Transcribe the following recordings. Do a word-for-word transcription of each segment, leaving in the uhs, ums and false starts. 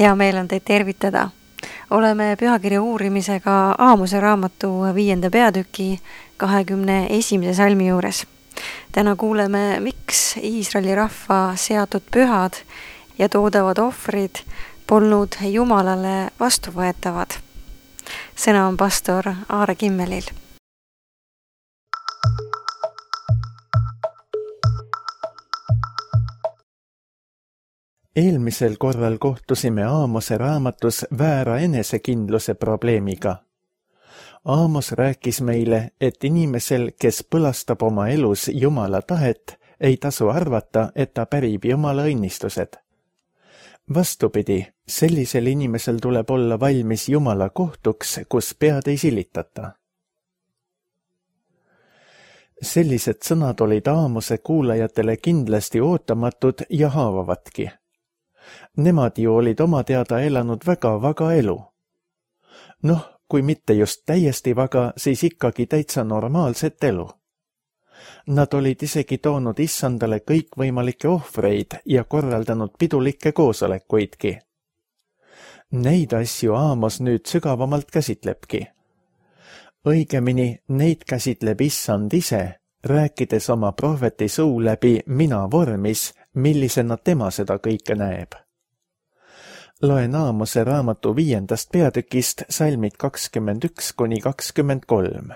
Hea meel on teid tervitada. Oleme pühakirja uurimisega Aamose raamatu viienda peatüki kahekümne esimese salmi juures. Täna kuuleme, miks Iisraeli rahva seatud pühad ja toodavad ohvrid polnud Jumalale vastuvõetavad. Sõna on pastor Aare Kimmelil. Eelmisel korral kohtusime Aamose raamatus väära enesekindluse probleemiga. Aamos rääkis meile, et inimesel, kes põlastab oma elus Jumala tahet, ei tasu arvata, et ta pärib Jumala õnnistused. Vastupidi, sellisel inimesel tuleb olla valmis Jumala kohtuks, kus pead ei silitata. Sellised sõnad olid Aamose kuulajatele kindlasti ootamatud ja haavavatki. Nemad ju olid oma teada elanud väga vaga elu. Noh, kui mitte just täiesti vaga, siis ikkagi täitsa normaalset elu. Nad olid isegi toonud issandale kõikvõimalikke ohvreid ja korraldanud pidulikke koosolekuidki. Neid asju Aamos nüüd sügavamalt käsitlebki. Õigemini neid käsitleb issand ise, rääkides oma prohveti suu läbi mina vormis, millisena tema seda kõike näeb. Loen Aamose raamatu viiendast peatükist salmid kakskümmend üks kuni kakskümmend kolm.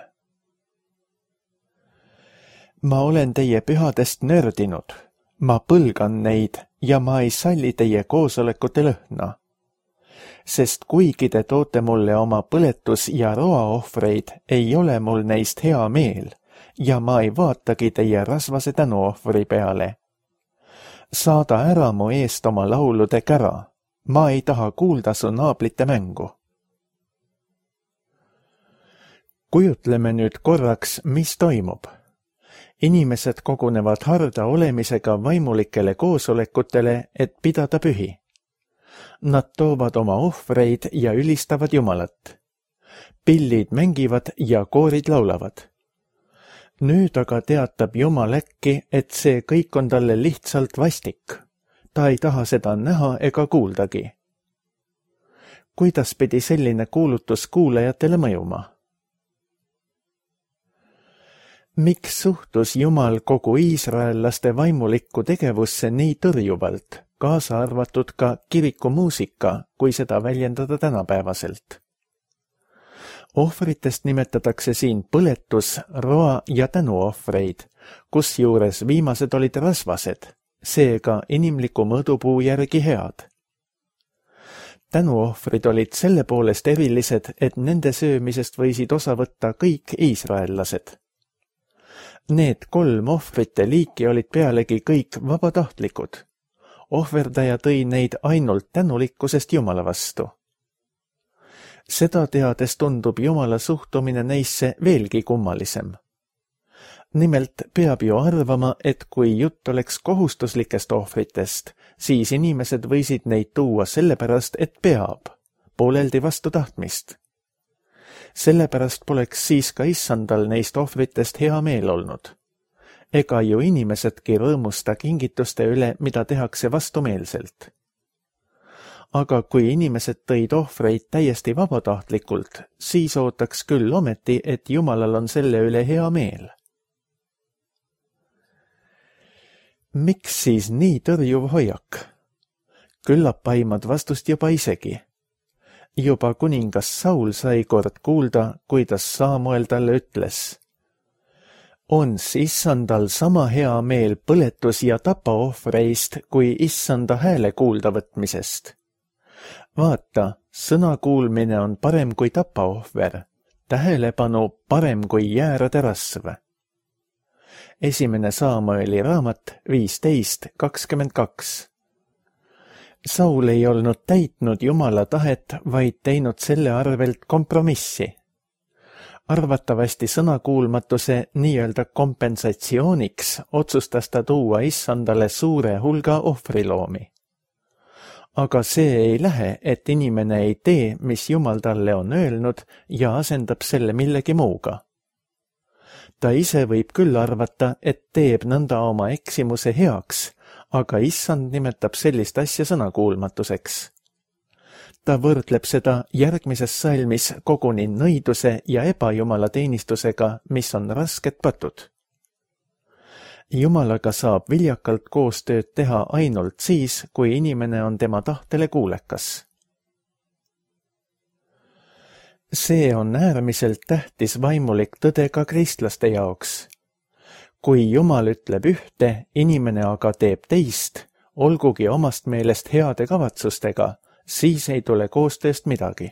Ma olen teie pühadest nördinud, ma põlgan neid ja ma ei salli teie koosolekute lõhna. Sest kuigi te toote mulle oma põletus- ja roaohvreid, ei ole mul neist hea meel ja ma ei vaatagi teie rasvase tänuohvri peale. Saada ära mu eest oma laulude kära. Ma ei taha kuulda su naablite mängu. Kujutleme nüüd korraks, mis toimub. Inimesed kogunevad harda olemisega vaimulikele koosolekutele, et pidada pühi. Nad toovad oma ohvreid ja ülistavad Jumalat. Pillid mängivad ja koorid laulavad. Nüüd aga teatab Jumal äkki, et see kõik on talle lihtsalt vastik. Ta ei taha seda näha ega kuuldagi. Kuidas pidi selline kuulutus kuulajatele mõjuma? Miks suhtus Jumal kogu iisraellaste vaimulikku tegevusse nii tõrjuvalt, kaasa arvatud ka kirikumuusika, kui seda väljendada tänapäevaselt? Ohvritest nimetatakse siin põletus, roa ja tänuohvreid, kusjuures viimased olid rasvased. Seega inimliku mõõdupuu järgi head. Tänuohvrid olid selle poolest erilised, et nende söömisest võisid osa võtta kõik iisraellased. Need kolm ohvrite liiki olid pealegi kõik vabatahtlikud. Ohverdaja tõi neid ainult tänulikkusest Jumala vastu. Seda teades tundub Jumala suhtumine neisse veelgi kummalisem. Nimelt peab ju arvama, et kui jutt oleks kohustuslikest ohvritest, siis inimesed võisid neid tuua sellepärast, et peab, pooleldi vastu tahtmist. Sellepärast poleks siis ka issandal neist ohvritest hea meel olnud. Ega ju inimesedki rõõmusta kingituste üle, mida tehakse vastumeelselt. Aga kui inimesed tõid ohvreid täiesti vabatahtlikult, siis ootaks küll ometi, et Jumalal on selle üle hea meel. Miks siis nii tõrjuv hoiak? Küllap aimad vastust juba isegi. Juba kuningas Saul sai kord kuulda, kuidas Samuel talle ütles. Ons issandal sama hea meel põletus- ja tapaohvreist, kui issanda hääle kuulda võtmisest. Vaata, sõna kuulmine on parem kui tapaohver, tähelepanu parem kui jäärade rasv. Esimene Samueli raamat viisteist kakskümmend kaks. Saul ei olnud täitnud Jumala tahet, vaid teinud selle arvelt kompromissi. Arvatavasti sõnakuulmatuse nii-öelda kompensatsiooniks otsustas ta tuua issandale suure hulga ohvriloomi. Aga see ei lähe, et inimene ei tee, mis Jumal talle on öelnud ja asendab selle millegi muuga. Ta ise võib küll arvata, et teeb nõnda oma eksimuse heaks, aga issand nimetab sellist asja sõnakuulmatuseks. Ta võrdleb seda järgmises salmis koguni nõiduse ja ebajumala teenistusega, mis on rasked patud. Jumalaga saab viljakalt koostööd teha ainult siis, kui inimene on tema tahtele kuulekas. See on äärmiselt tähtis vaimulik tõde ka kristlaste jaoks. Kui Jumal ütleb ühte, inimene aga teeb teist, olgugi omast meelest heade kavatsustega, siis ei tule koostööst midagi.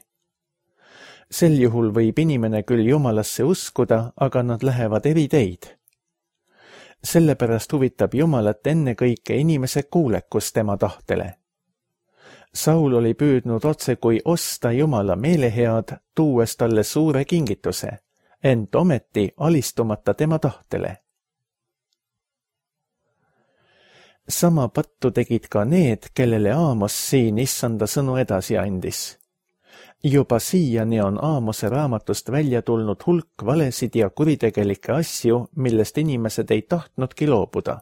Sel juhul võib inimene küll Jumalasse uskuda, aga nad lähevad eri teid. Sellepärast huvitab Jumalat ennekõike inimese kuulekus tema tahtele. Saul oli püüdnud otse kui osta Jumala meelehead, tuues talle suure kingituse, ent ometi alistumata tema tahtele. Sama pattu tegid ka need, kellele Aamos siin issanda sõnu edasi andis. Juba siiani on Aamose raamatust välja tulnud hulk valesid ja kuritegelikke asju, millest inimesed ei tahtnudki loobuda.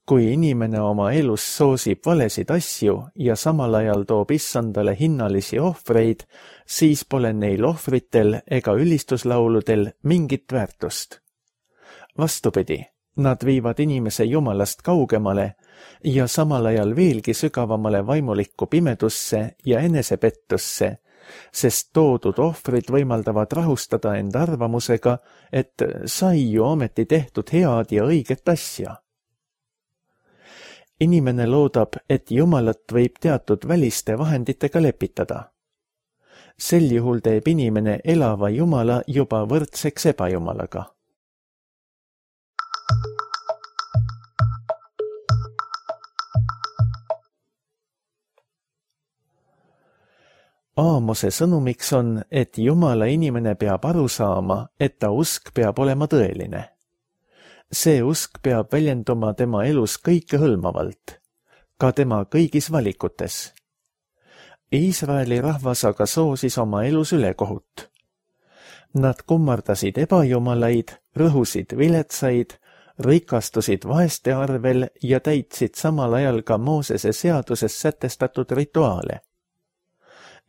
Kui inimene oma elus soosib valesid asju ja samal ajal toob issandale hinnalisi ohvreid, siis pole neil ohvritel ega ülistuslauludel mingit väärtust. Vastupidi, nad viivad inimese Jumalast kaugemale ja samal ajal veelgi sügavamale vaimulikku pimedusse ja enesepettusse, sest toodud ohvrid võimaldavad rahustada end arvamusega, et sai ju ometi tehtud head ja õiget asja. Inimene loodab, et Jumalat võib teatud väliste vahenditega lepitada. Sel juhul teeb inimene elava Jumala juba võrdseks ebajumalaga. Aamose sõnumiks on, et Jumala inimene peab aru saama, et ta usk peab olema tõeline. See usk peab väljenduma tema elus kõikehõlmavalt, ka tema kõigis valikutes. Iisraeli rahvas aga soosis oma elus ülekohut. Nad kummardasid ebajumalaid, rõhusid viletsaid, rikastusid vaeste arvel ja täitsid samal ajal ka Moosese seaduses sätestatud rituaale.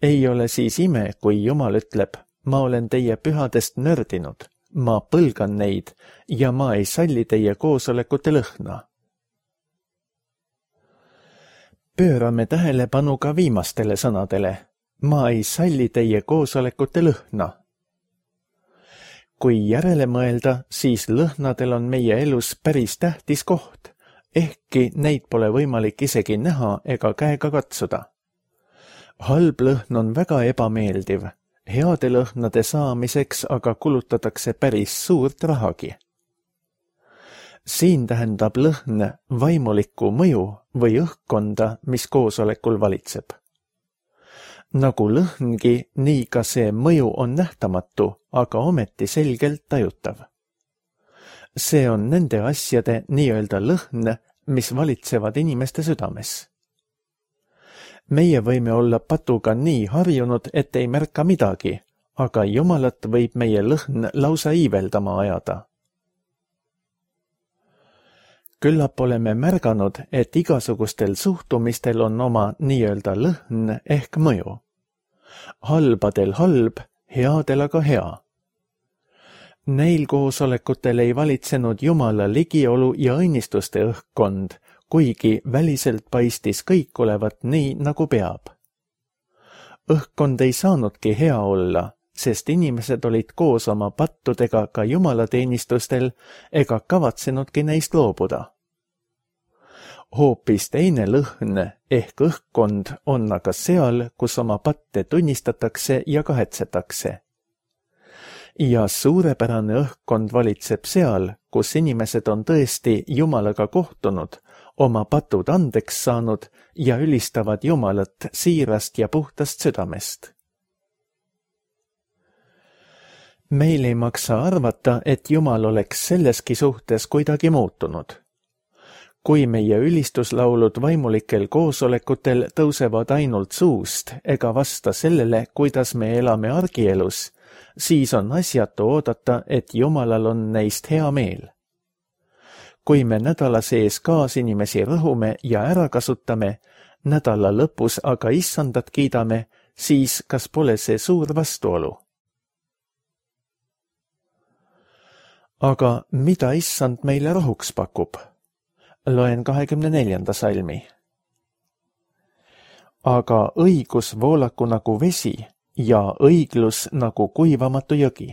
Ei ole siis ime, kui Jumal ütleb, ma olen teie pühadest nördinud, ma põlgan neid ja ma ei salli teie koosolekute lõhna. Pöörame tähelepanu ka viimastele sõnadele, ma ei salli teie koosolekute lõhna. Kui järele mõelda, siis lõhnadel on meie elus päris tähtis koht, ehkki neid pole võimalik isegi näha ega käega katsuda. Halb lõhn on väga ebameeldiv, heade lõhnade saamiseks aga kulutatakse päris suurt rahagi. Siin tähendab lõhn vaimulikku mõju või õhkkonda, mis koosolekul valitseb. Nagu lõhngi, nii ka see mõju on nähtamatu, aga ometi selgelt tajutav. See on nende asjade nii-öelda lõhn, mis valitsevad inimeste südames. Meie võime olla patuga nii harjunud, et ei märka midagi, aga Jumalat võib meie lõhn lausa iiveldama ajada. Küllap oleme märganud, et igasugustel suhtumistel on oma nii-öelda lõhn ehk mõju. Halbadel halb, headel aga hea. Neil koosolekutel ei valitsenud Jumala ligiolu ja õnnistuste õhkkond, kuigi väliselt paistis kõik olevat nii, nagu peab. Õhkkond ei saanudki hea olla, sest inimesed olid koos oma pattudega ka jumalateenistustel ega kavatsenudki neist loobuda. Hoopis teine lõhn ehk õhkkond on aga seal, kus oma patte tunnistatakse ja kahetsetakse. Ja suurepärane õhkkond valitseb seal, kus inimesed on tõesti Jumalaga kohtunud, oma patud andeks saanud ja ülistavad Jumalat siirast ja puhtast südamest. Meil ei maksa arvata, et Jumal oleks selleski suhtes kuidagi muutunud. Kui meie ülistuslaulud vaimulikel koosolekutel tõusevad ainult suust ega vasta sellele, kuidas me elame argielus, siis on asjatu oodata, et Jumalal on neist hea meel. Kui me nädala sees kaasinimesi rõhume ja ära kasutame, nädala lõpus aga issandat kiidame, siis kas pole see suur vastuolu? Aga mida issand meile rohuks pakub? Loen kahekümne neljanda salmi. Aga õigus voolaku nagu vesi ja õiglus nagu kuivamatu jõgi.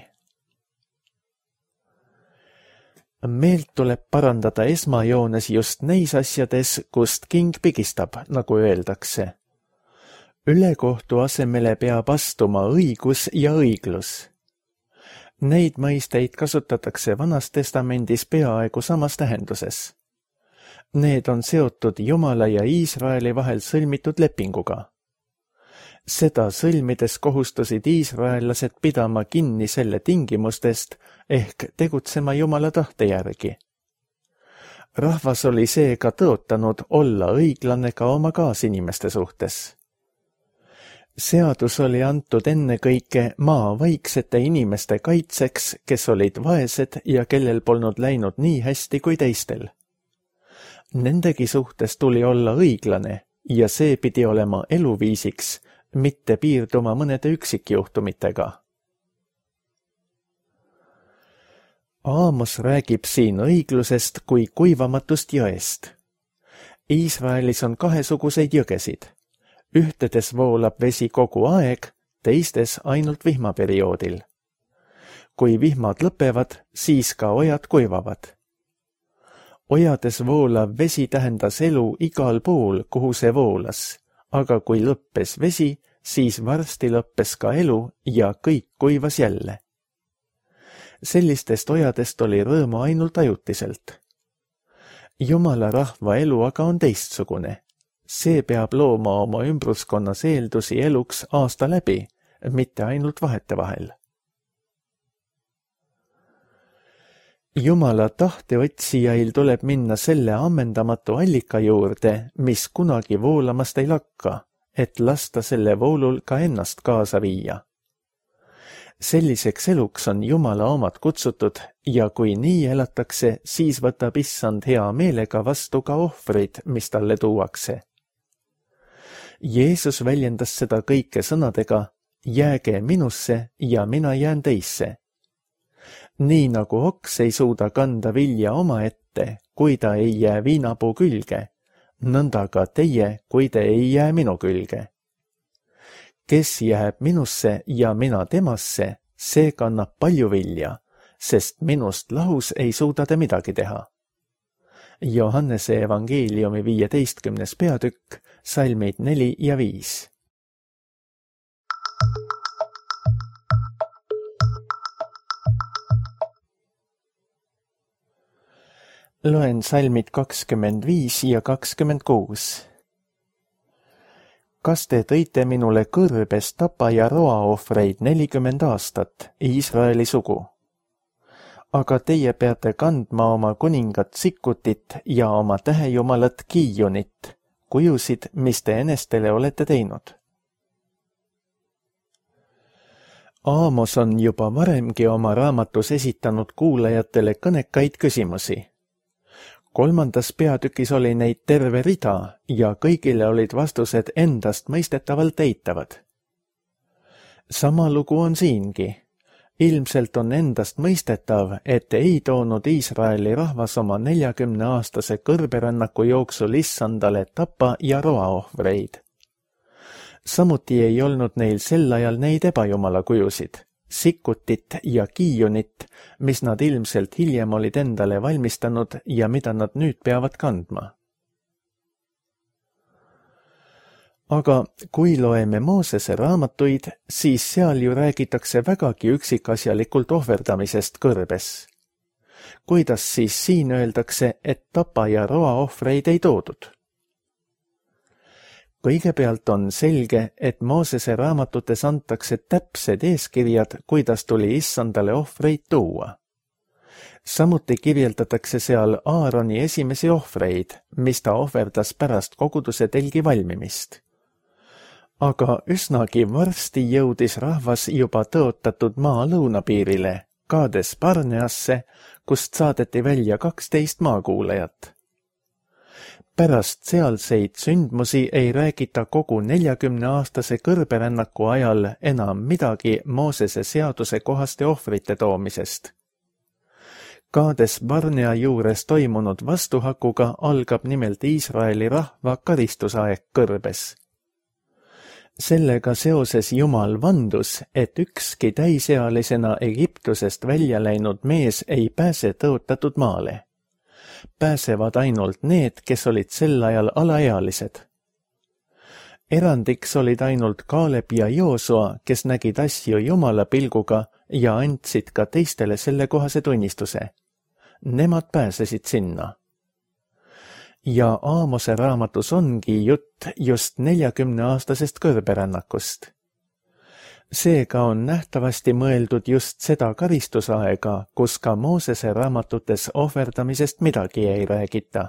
Meelt tuleb parandada esmajoones just neis asjades, kust king pigistab, nagu öeldakse. Ülekohtu asemele peab astuma õigus ja õiglus. Neid mõisteid kasutatakse Vanas Testamendis peaaegu samas tähenduses. Need on seotud Jumala ja Iisraeli vahel sõlmitud lepinguga. Seda sõlmides kohustusid iisraellased pidama kinni selle tingimustest ehk tegutsema Jumala tahte järgi. Rahvas oli seega tõotanud olla õiglane ka oma kaasinimeste suhtes. Seadus oli antud ennekõike maa vaiksete inimeste kaitseks, kes olid vaesed ja kellel polnud läinud nii hästi kui teistel. Nendegi suhtes tuli olla õiglane ja see pidi olema eluviisiks, mitte piirduma mõnede üksikjuhtumitega. Aamos räägib siin õiglusest kui kuivamatust jõest. Iisraelis on kahesuguseid jõgesid. Ühtedes voolab vesi kogu aeg, teistes ainult vihmaperioodil. Kui vihmad lõpevad, siis ka ojad kuivavad. Ojades voolav vesi tähendas elu igal pool, kuhu see voolas, aga kui lõppes vesi, siis varsti lõppes ka elu ja kõik kuivas jälle. Sellistest ojadest oli rõõmu ainult ajutiselt. Jumala rahva elu aga on teistsugune. See peab looma oma ümbruskonnas eeldusi eluks aasta läbi, mitte ainult vahetevahel. Jumala tahte otsijail tuleb minna selle ammendamatu allika juurde, mis kunagi voolamast ei lakka, et lasta selle voolul ka ennast kaasa viia. Selliseks eluks on Jumala omad kutsutud ja kui nii elatakse, siis võtab issand hea meelega vastu ka ohvrid, mis talle tuuakse. Jeesus väljendas seda kõike sõnadega, jääge minusse ja mina jään teisse. Nii nagu oks ei suuda kanda vilja oma ette, kui ta ei jää viinapuu külge, nõnda ka teie, kui te ei jää minu külge. Kes jääb minusse ja mina temasse, see kannab palju vilja, sest minust lahus ei suuda te midagi teha. Johannese evangeeliumi viieteistkümnes peatükk, salmid neli ja viis. Loen salmid kakskümmend viis ja kakskümmend kuus. Kas te tõite minule kõrbes tapa ja roaohvreid nelikümmend aastat, Iisraeli sugu? Aga teie peate kandma oma kuningat Sikkutit ja oma tähejumalat Kiionit, kujusid, mis te enestele olete teinud. Aamos on juba varemgi oma raamatus esitanud kuulajatele kõnekaid küsimusi. Kolmandas peatükis oli neid terve rida ja kõigile olid vastused endast mõistetavalt eitavad. Sama lugu on siingi. Ilmselt on endast mõistetav, et ei toonud Iisraeli rahvas oma neljakümne aastase kõrberännaku jooksul issandale tapa ja roaohvreid. Samuti ei olnud neil sel ajal neid ebajumala kujusid, Sikkutit ja Kiionit, mis nad ilmselt hiljem olid endale valmistanud ja mida nad nüüd peavad kandma. Aga kui loeme Moosese raamatuid, siis seal ju räägitakse vägagi üksikasjalikult ohverdamisest kõrbes. Kuidas siis siin öeldakse, et tapa ja roaohvreid ei toodud? Kõigepealt on selge, et Moosese raamatutes antakse täpsed eeskirjad, kuidas tuli issandale ohvreid tuua. Samuti kirjeldatakse seal Aaroni esimesi ohvreid, mis ta ohverdas pärast koguduse telgi valmimist. Aga üsnagi varsti jõudis rahvas juba tõotatud maa lõunapiirile, Kaades Barneasse, kust saadeti välja kaksteist maakuulajat. Pärast sealseid sündmusi ei räägita kogu neljakümneaastase kõrberännaku ajal enam midagi Moosese seaduse kohaste ohvrite toomisest. Kaades Barnea juures toimunud vastuhakuga algab nimelt Iisraeli rahva karistusaeg kõrbes. Sellega seoses Jumal vandus, et ükski täisealisena Egiptusest välja läinud mees ei pääse tõotatud maale. Pääsevad ainult need, kes olid sel ajal alaealised. Erandiks olid ainult Kaaleb ja Joosua, kes nägid asju Jumala pilguga ja andsid ka teistele sellekohase tunnistuse. Nemad pääsesid sinna. Ja Aamose raamatus ongi jutt just neljakümneaastasest kõrberännakust. Seega on nähtavasti mõeldud just seda karistusaega, kus ka Moosese raamatutes ohverdamisest midagi ei räägita.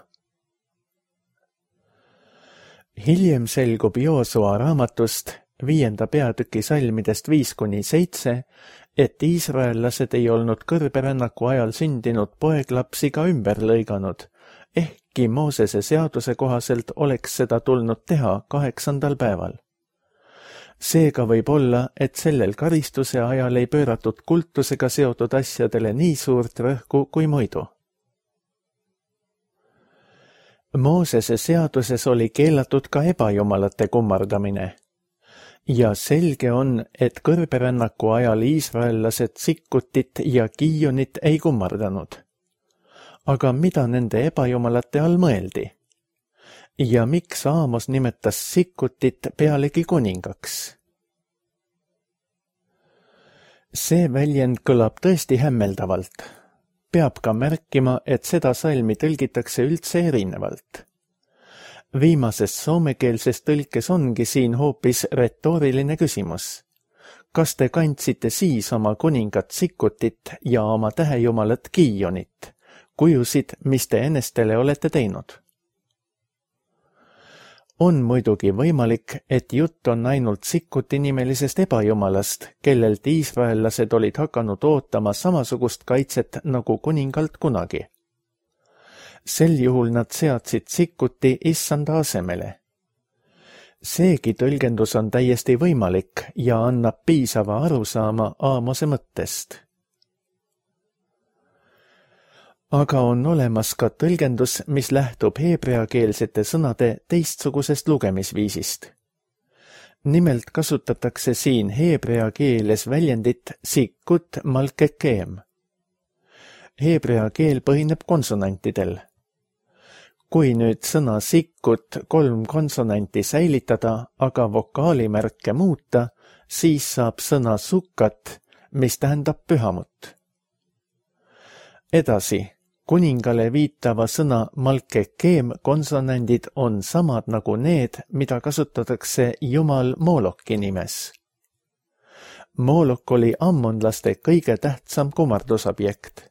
Hiljem selgub Joosua raamatust viienda peatüki salmidest viis kuni seitse, et iisraellased ei olnud kõrberännaku ajal sündinud poeglapsi ka ümber lõiganud, ehkki Moosese seaduse kohaselt oleks seda tulnud teha kaheksandal päeval. Seega võib olla, et sellel karistuse ajal ei pööratud kultusega seotud asjadele nii suurt rõhku kui muidu. Moosese seaduses oli keelatud ka ebajumalate kummardamine. Ja selge on, et kõrberännaku ajal iisraellased Sikkutit ja Kiionit ei kummardanud. Aga mida nende ebajumalate all mõeldi? Ja miks Aamos nimetas Sikkutit pealegi kuningaks? See väljend kõlab tõesti hämmeldavalt. Peab ka märkima, et seda salmi tõlgitakse üldse erinevalt. Viimases soomekeelses tõlkes ongi siin hoopis retooriline küsimus. Kas te kandsite siis oma kuningat Sikkutit ja oma tähejumalat Kiionit, kujusid, mis te enestele olete teinud? On muidugi võimalik, et jutt on ainult Sikkuti nimelisest ebajumalast, kellelt iisraellased olid hakanud ootama samasugust kaitset nagu kuningalt kunagi. Sel juhul nad seadsid Sikkuti issanda asemele. Seegi tõlgendus on täiesti võimalik ja annab piisava arusaama Aamose mõttest. Aga on olemas ka tõlgendus, mis lähtub heebreakeelsete sõnade teistsugusest lugemisviisist. Nimelt kasutatakse siin heebrea keeles väljendit Sikkut malkekeem. Heebrea keel põhineb konsonantidel. Kui nüüd sõna Sikkut kolm konsonanti säilitada, aga vokaalimärke muuta, siis saab sõna Sukkat, mis tähendab pühamut. Edasi. Kuningale viitava sõna malkekeem konsonandid on samad nagu need, mida kasutatakse jumal Mooloki nimes. Moolok oli ammonlaste kõige tähtsam kummardusobjekt.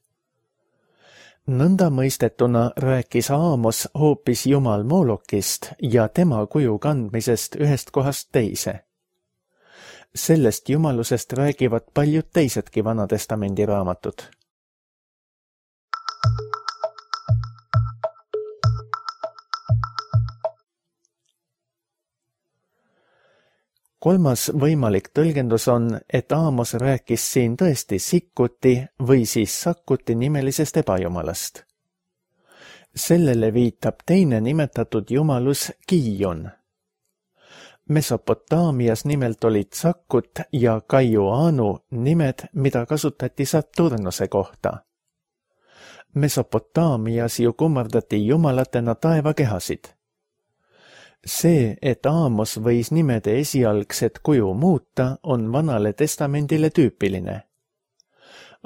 Nõnda mõistetuna rääkis Aamos hoopis jumal Moolokist ja tema kuju kandmisest ühest kohast teise. Sellest jumalusest räägivad paljud teisedki Vanatestamendi raamatud. Kolmas võimalik tõlgendus on, et Aamos rääkis siin tõesti Sikkuti või siis Sakkuti nimelisest ebajumalast. Sellele viitab teine nimetatud jumalus Kiion. Mesopotaamias nimelt olid Sakkut ja Kaiuanu nimed, mida kasutati Saturnuse kohta. Mesopotaamias ju kummardati jumalatena taevakehasid. See, et Aamos võis nimede esialgset kuju muuta, on Vanale testamendile tüüpiline.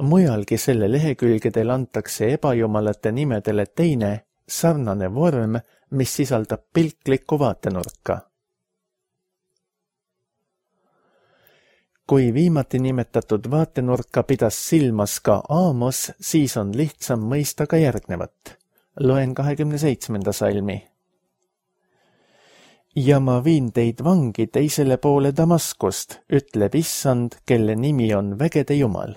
Mujalgi selle lehekülgedel antakse ebajumalate nimedele teine, sarnane vorm, mis sisaldab pilklikku vaatenurka. Kui viimati nimetatud vaatenurka pidas silmas ka Aamos, siis on lihtsam mõista ka järgnevat. Loen kahekümne seitsmenda salmi. Ja ma viin teid vangi teisele poole Damaskust, ütleb issand, kelle nimi on vägede jumal.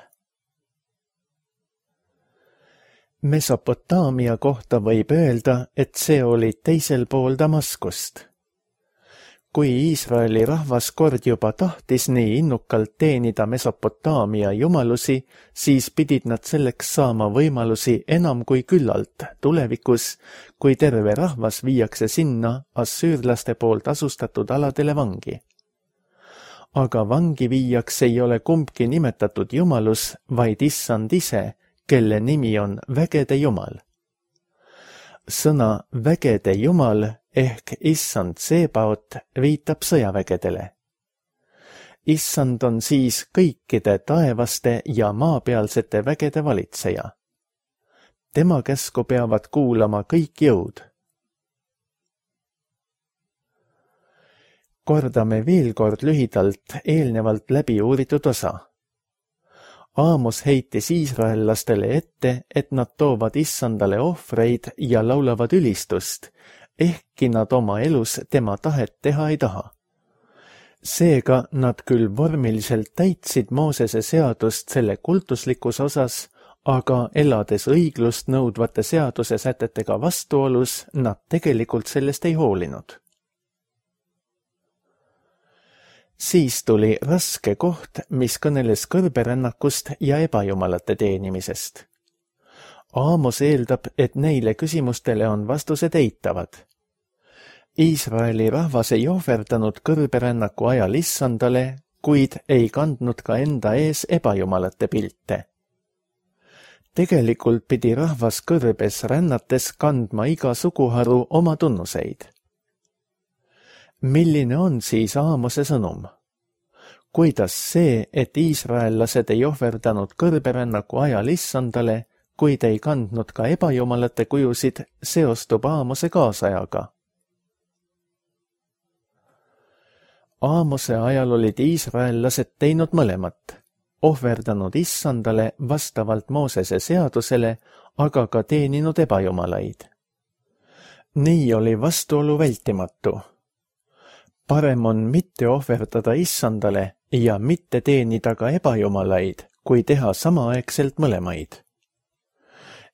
Mesopotaamia kohta võib öelda, et see oli teisel pool Damaskust. Kui Iisraeli rahvas kord juba tahtis nii innukalt teenida Mesopotaamia jumalusi, siis pidid nad selleks saama võimalusi enam kui küllalt tulevikus, kui terve rahvas viiakse sinna assüürlaste poolt asustatud aladele vangi. Aga vangi viiaks ei ole kumbki nimetatud jumalus, vaid issand ise, kelle nimi on vägede jumal. Sõna vägede jumal ehk issand Sebaot viitab sõjavägedele. Issand on siis kõikide taevaste ja maapealsete vägede valitseja. Tema käsku peavad kuulama kõik jõud. Kordame veel kord lühidalt eelnevalt läbi uuritud osa. Aamos heitis iisraellastele ette, et nad toovad issandale ohvreid ja laulavad ülistust, ehkki nad oma elus tema tahet teha ei taha. Seega nad küll vormiliselt täitsid Moosese seadust selle kultuslikus osas, aga elades õiglust nõudvate seaduse sätetega vastuolus, nad tegelikult sellest ei hoolinud. Siis tuli raske koht, mis kõneles kõrberännakust ja ebajumalate teenimisest. Aamos eeldab, et neile küsimustele on vastused eitavad. Iisraeli rahvas ei ohverdanud kõrberännaku ajal issandale, kuid ei kandnud ka enda ees ebajumalate pilte. Tegelikult pidi rahvas kõrbes rännates kandma iga suguharu oma tunnuseid. Milline on siis Aamose sõnum? Kuidas see, et iisraellased ei ohverdanud kõrberännaku ajal issandale, kuid ei kandnud ka ebajumalate kujusid, seostub Aamose kaasajaga? Aamose ajal olid iisraellased teinud mõlemat, ohverdanud issandale vastavalt Moosese seadusele, aga ka teeninud ebajumalaid. Nii oli vastuolu vältimatu. Parem on mitte ohverdada issandale ja mitte teenida ka ebajumalaid, kui teha samaaegselt mõlemaid.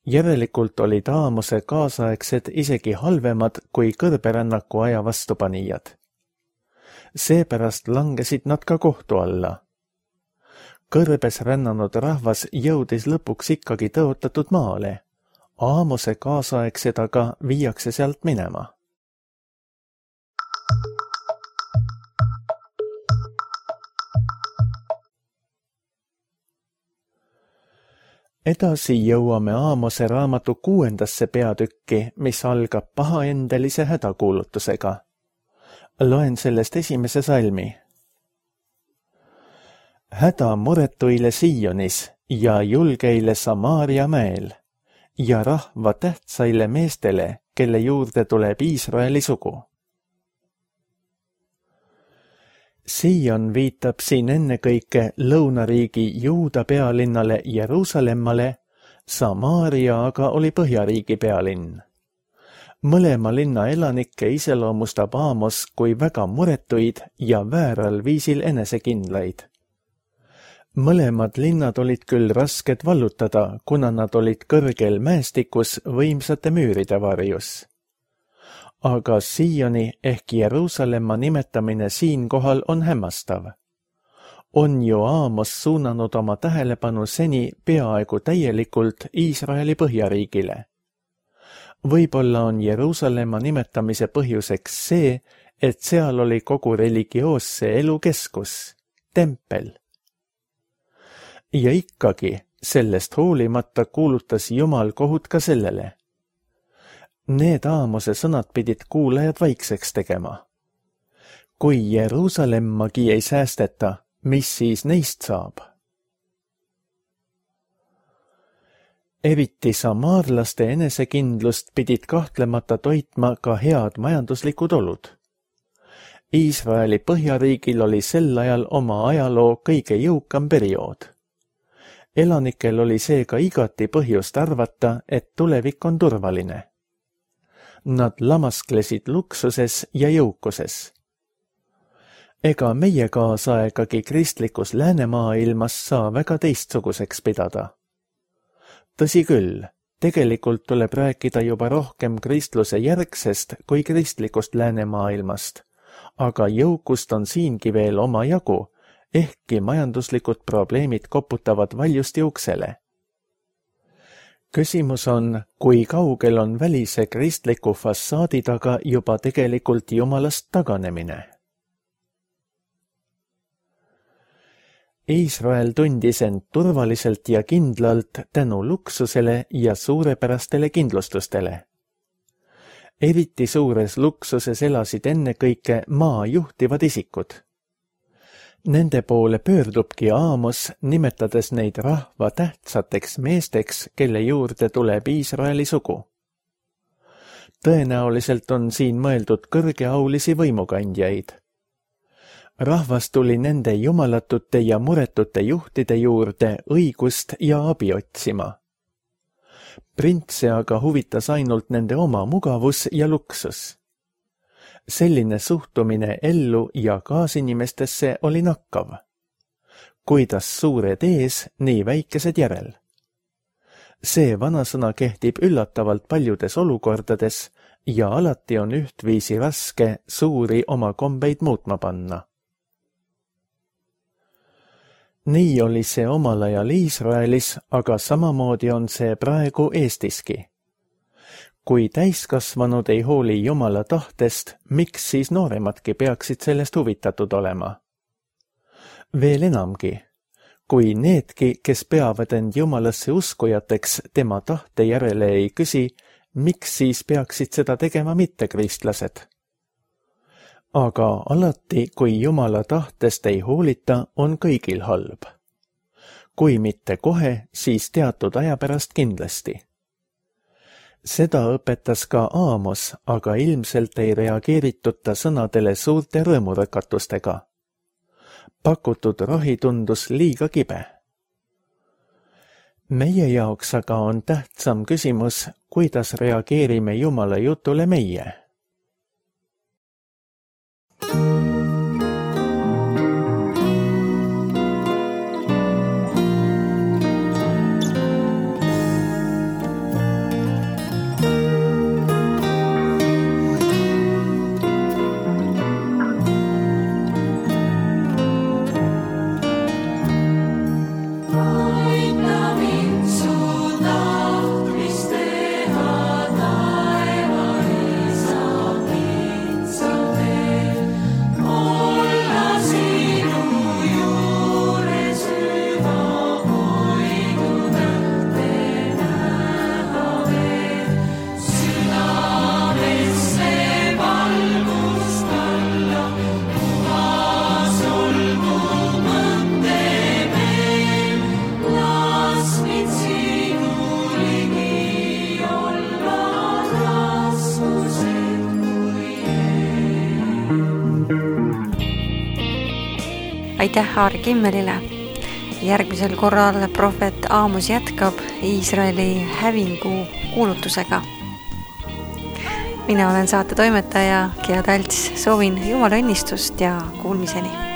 Järelikult olid Aamose kaasaegsed isegi halvemad kui kõrberännaku aja vastupanijad. Seepärast langesid nad ka kohtu alla. Kõrbes rännanud rahvas jõudis lõpuks ikkagi tõotatud maale. Aamose kaasaegsed aga viiakse sealt minema. Edasi jõuame Aamose raamatu kuuendasse peatükki, mis algab pahaendelise hädakuulutusega. Loen sellest esimese salmi. Häda muretuile Sionis ja julgeile Samaaria mäel ja rahva tähtsaile meestele, kelle juurde tuleb Iisraeli sugu. Sion viitab siin ennekõike lõunariigi Juuda pealinnale Jeruusalemmale, Samaaria aga oli Põhjariigi pealinn. Mõlema linna elanikke iseloomustab Aamos kui väga muretuid ja vääral viisil enesekindlaid. Mõlemad linnad olid küll rasked vallutada, kuna nad olid kõrgel mäestikus võimsate müüride varjus. Aga Sioni ehk Jeruusalemma nimetamine siinkohal on hämmastav. On ju Aamos suunanud oma tähelepanu seni peaaegu täielikult Iisraeli Põhjariigile. Võib-olla on Jeruusalemma nimetamise põhjuseks see, et seal oli kogu religioosse elu keskus, tempel. Ja ikkagi, sellest hoolimata kuulutas Jumal kohut ka sellele. Need Aamose sõnad pidid kuulajad vaikseks tegema. Kui Jeruusalemmagi ei säästeta, mis siis neist saab? Eriti samaarlaste enesekindlust pidid kahtlemata toitma ka head majanduslikud olud. Iisraeli Põhjariigil oli sel ajal oma ajaloo kõige jõukam periood. Elanikel oli seega igati põhjust arvata, et tulevik on turvaline. Nad lamasklesid luksuses ja jõukuses. Ega meie kaasaegagi kristlikus läänemaailmas saa väga teistsuguseks pidada. Tõsi küll, Tegelikult tuleb rääkida juba rohkem kristluse järgsest kui kristlikust läänemaailmast, aga jõukust on siingi veel oma jagu, ehkki majanduslikud probleemid koputavad valjusti uksele. Küsimus on, kui kaugel on välise kristliku fassaadi taga juba tegelikult Jumalast taganemine. Iisrael tundis end turvaliselt ja kindlalt tänu luksusele ja suurepärastele kindlustustele. Eriti suures luksuses elasid ennekõike maa juhtivad isikud. Nende poole pöördubki Aamos, nimetades neid rahva tähtsateks meesteks, kelle juurde tuleb Iisraeli sugu. Tõenäoliselt on siin mõeldud kõrgeaulisi võimukandjaid. Rahvas tuli nende jumalatute ja muretute juhtide juurde õigust ja abi otsima. Printse aga huvitas ainult nende oma mugavus ja luksus. Selline suhtumine ellu ja kaasinimestesse oli nakkav. Kuidas suured ees, nii väikesed järel. See vanasõna kehtib üllatavalt paljudes olukordades ja alati on ühtviisi raske suuri oma kombeid muutma panna. Nii oli see omal ajal Iisraelis, aga samamoodi on see praegu Eestiski. Kui täiskasvanud ei hooli Jumala tahtest, miks siis nooremadki peaksid sellest huvitatud olema? Veel enamgi, kui needki, kes peavad end Jumalasse uskujateks, tema tahte järele ei küsi, miks siis peaksid seda tegema mittekristlased? Aga alati, kui Jumala tahtest ei hoolita, on kõigil halb. Kui mitte kohe, siis teatud aja pärast kindlasti. Seda õpetas ka Aamos, aga ilmselt ei reageeritud ta sõnadele suurte rõõmurõkatustega. Pakutud rohi tundus liiga kibe. Meie jaoks aga on tähtsam küsimus, kuidas reageerime Jumala jutule meie. Aitäh Aari Kimmelile. Järgmisel korral prohvet Aamos jätkab Iisraeli hävingu kuulutusega. Mina olen saate toimetaja Gea Talts, soovin Jumala õnnistust ja kuulmiseni.